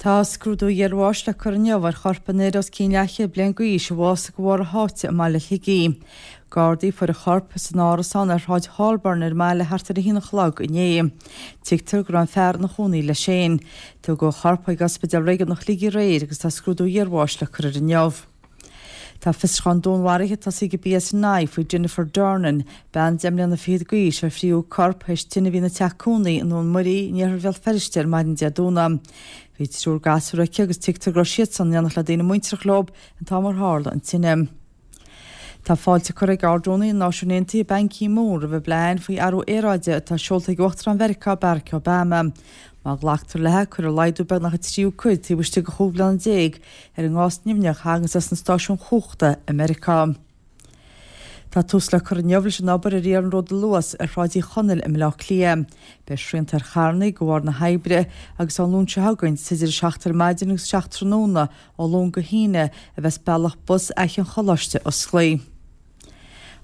Tá scrúdú iarbháis le cur inniu ar chorp an fhir os cionn leathchéad bliain d'aois a bhásaigh de bharr a sháite i mbaile Shligigh. Gardaí a fuair a chorp san árasán ar Shráid Sholburn ar an mbaile thart ar a haon a chlog inné. Tuigtear go raibh an fear ina chónaí leis féin. Tugadh a chorp chuig Ospidéal Réigiúnach Shligigh aréir agus tá scrúdú iarbháis le cur air inniu. Tá fiosrúchán dúnmharaithe tosaithe ag an PSNI faoi Jennifer Dornan, bean deich mbliana fichead d'aois ar fríothadh a corp théis tine a bhí ina teach cónaí i nDún Muirí in iarthar Bhéal Feirste ar maidin Dé Domhnaigh. Bhí triúr gasúr aici agus tuigtear go raibh siadsan in éineacht le daoine muinteartha leo an t-am ar tharla an tine. Tá fáilte curtha ag Ard-Rúnaí na Náisiún Aontaithe Ban Ki-moon roimh an bplean faoi athrú aeráide atá seolta ag Uachtarán Mheiriceá Barack Obama. Má ghlactar léi, cuirfear laghdú beagnach an tríú cuid taobh istigh de chúig bliana déag ar an ngás nimhneach a thaganns as na stáisiúin chumhachta i Meiriceá. Tá tús le cur inniu leis an obair ar iarnród Luas ar Shráid Uí Chonaill i mBaile Átha Cliath. Beidh srianta ar charrannaí de bharr na hoibre agus ón Luan seo chugainn is idir 7 ar maidin agus 7 tráthnóna ó Luan go hAoine a bheas bealach bus Fhaiche an Choláiste osclaí.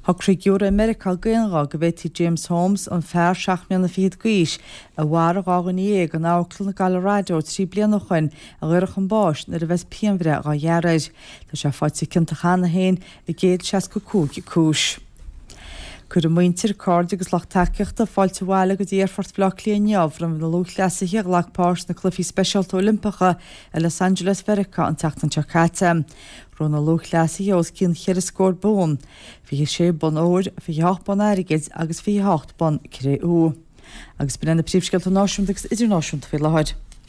Shocraigh giúiré i Meiriceá d'aonghuth go bhféadfaí James Holmes, an fear 7 mbliana fichead d'aois a mharaigh 12 dhuine in amharclann i gColorado 3 bliana ó shoin, a dhaoradh chun báis nuair a bheas pianbhreith dhá ghearradh air. Tá sé faighte ciontach cheana féin i 165 cúis. Cuirfidh muintir, cairde agus lucht tacaíochta fáilte abhaile go dtí Aerfort Bhaile Átha Cliath inniu roimh na lúthchleasaithe a ghlac páirt sna Cluichí Speisialta Oilimpeacha i Los Angeles Mheiriceá an tseachtain seo caite. Ghnóthaigh na lúthchleasaithe os cionn cheithre scór bonn, 26 bonn óir, 28 bonn airgid agus 28 bonn cré-umha. Agus b'in iad na príomhscéalta náisiúnta agus idirnáisiúnta faoi láthair.